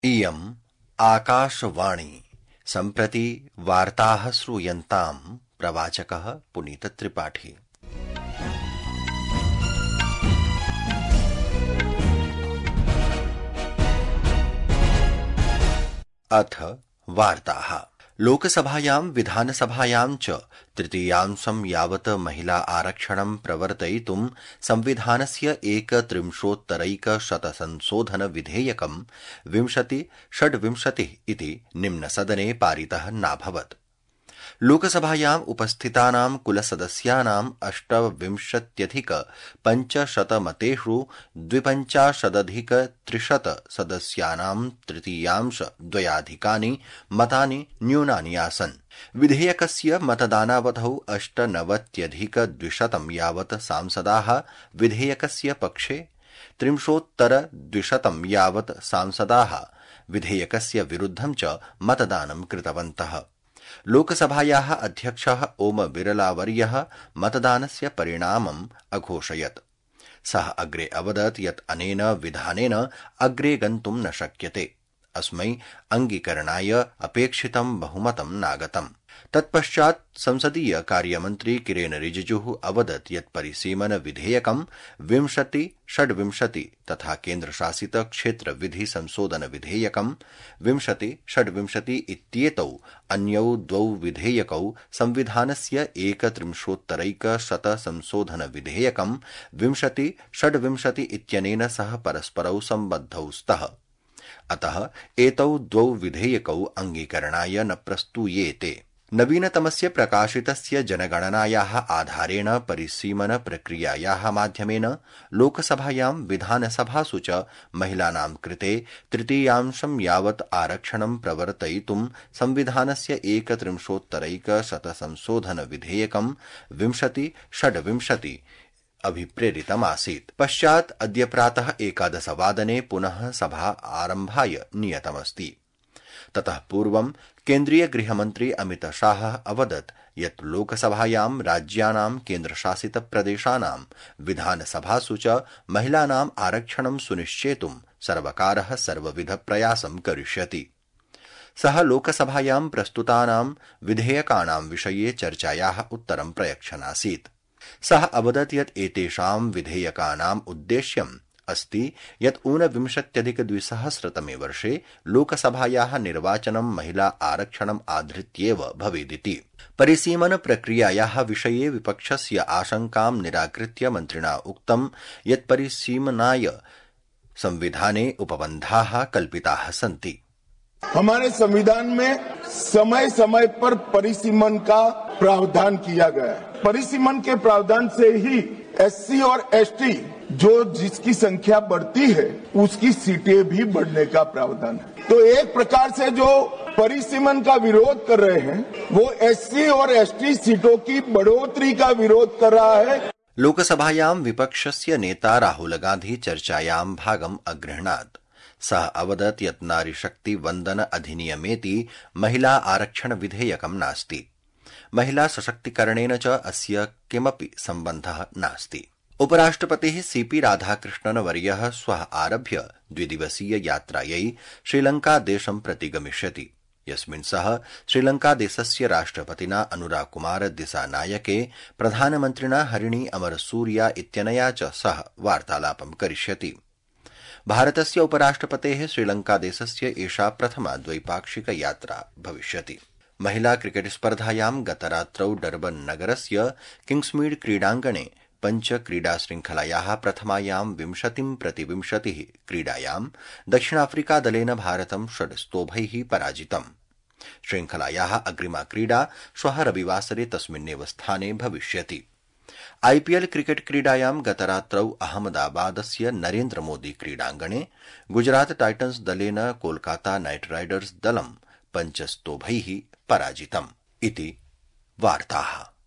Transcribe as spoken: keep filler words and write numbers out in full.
इयम् आकाशवाणी सम्प्रति वार्ताः श्रूयन्ताम् प्रवाचकः पुनीतत्रिपाठी। अथ वार्ताः। लोकसभायां विधानसभायां च तृतीयांशं यावत् महिला आरक्षणं प्रवर्तयितुं संविधानस्य एकत्रिंशोत्तरैकशतसंशोधन विधेयकं विंशति षड्विंशतिः इति निम्नसदने पारितः नाभवत्। लोकसभायाम् उपस्थितानां कुलसदस्यानाम् अष्टविंशत्यधिक पञ्चशतमतेषु द्विपञ्चाशदधिक त्रिशत सदस्यानां तृतीयांश द्वयाधिकानि मतानि न्यूनानि आसन्। विधेयकस्य मतदानावधौ अष्टनवत्यधिक द्विशतं यावत् सांसदाः विधेयकस्य पक्षे, त्रिंशोत्तर द्विशतं यावत् सांसदाः विधेयकस्य विरुद्धं च मतदानं कृतवन्तः। लोकसभायाः अध्यक्षः ओम बिरलावर्यः मतदानस्य परिणामम् अघोषयत्। सः अग्रे अवदत् यत् अनेन विधानेन अग्रे गन्तुं न शक्यते। अस्मै अङ्गीकरणाय अपेक्षितं बहुमतं नागतम्। तत्पश्चात् संसदीय कार्यमन्त्री किरेन रिजिजुः अवदत् यत् परिसीमन विधेयकं विंशति षड्विंशति तथा केन्द्रशासित क्षेत्र विधि संशोधन विधेयकं विंशति षड्विंशति इत्येतौ अन्यौ द्वौ विधेयकौ संविधानस्य एकत्रिंशोत्तरैकशत संशोधन विधेयकं विंशति षड्विंशति इत्यनेन सह परस्परौ सम्बद्धौ स्तः। अतः एतौ द्वौ विधेयकौ अङ्गीकरणाय न प्रस्तूयेते। नवीनतमस्य प्रकाशितस्य जनगणनायाः आधारेण परिसीमन प्रक्रियायाः माध्यमेन लोकसभायां विधानसभासु च महिलानां कृते तृतीयांशं यावत् आरक्षणं प्रवर्तयितुं संविधानस्य एकत्रिंशोत्तरैकशतसंशोधन विधेयकं विंशति षड्विंशति अभिप्रेरितमासीत्। पश्चात् अद्य प्रातः एकादशवादने पुनः सभा आरम्भाय नियतमस्ति। ततः पूर्वं केन्द्रीय गृहमन्त्री अमितशाहः अवदत् यत् लोकसभायां राज्यानां केन्द्रशासित प्रदेशानां विधानसभासु च महिलानाम् आरक्षणं सुनिश्चेतुं सर्वकारः सर्वविध प्रयासं करिष्यति। सः लोकसभायां प्रस्तुतानां विधेयकानां विषये चर्चायाः उत्तरं प्रयच्छनासीत्। सः अवदत् यत् एतेषां विधेयकानाम् उद्देश्यम् अस्ति यत् ऊनविंशत्यधिकद्विसहस्रतमे वर्षे लोकसभायाः निर्वाचनं महिला आरक्षणम् आधृत्येव भवेदिति। परिसीमन प्रक्रियायाः विषये विपक्षस्य आशंकां निराकृत्य मन्त्रिणा उक्तं यत् परिसीमनाय संविधाने उपबन्धाः कल्पिताः सन्ति। हमारे संविधान में समय समय पर परिसीमन का प्रावधान किया गया है। परिसीमन के प्रावधान से ही एससी और एसटी जो जिसकी संख्या बढ़ती है उसकी सीटें भी बढ़ने का प्रावधान है। तो एक प्रकार से जो परिसीमन का विरोध कर रहे हैं वो एससी और एसटी सीटों की बढ़ोतरी का विरोध कर रहा है। लोकसभायां विपक्षस्य नेता राहुल गांधी चर्चायां भागम् अगृह्णात्। सः अवदत् यत् नारीशक्ति वन्दन अधिनियमेति महिला आरक्षण विधेयकं नास्ति। महिला सशक्तिकरणेन च अस्य किमपि सम्बन्धः नास्ति। उपराष्ट्रपतिः सीपी राधाकृष्णन वर्यः श्वः आरभ्य द्विदिवसीय यात्रायै श्रीलङ्कादेशं प्रति गमिष्यति, यस्मिन् सः श्रीलङ्कादेशस्य राष्ट्रपतिना अनुराकुमार दिसानायके, प्रधानमन्त्रिणा हरिणी अमरसूरिया इत्यनया च सह वार्तालापं करिष्यति। भारतस्य उपराष्ट्रपतेः श्रीलङ्कादेशस्य एषा प्रथमा द्वैपाक्षिक यात्रा भविष्यति। महिला क्रिकेट स्पर्धायां गतरात्रौ डर्बन नगरस्य किंग्समीड क्रीडाङ्गणे पञ्च क्रीडाशृङ्खलायाः प्रथमायां विंशतिं प्रति विंशतिः क्रीडायां दक्षिणाफ्रिकादलेन भारतं षड् पराजितम्। श्रृङ्खलायाः अग्रिमा क्रीडा श्वः रविवासरे तस्मिन्नेव स्थाने भविष्यति। आईपीएल क्रिकेट क्रीडायां गतरात्रौ अहमदाबादस्य नरेन्द्र मोदी क्रीडाङ्गणे गुजरात टाइटन्स दलेन कोलकाता नाइट राइडर्स दलं पञ्चस्तोभैः पराजितम् इति वार्ताः।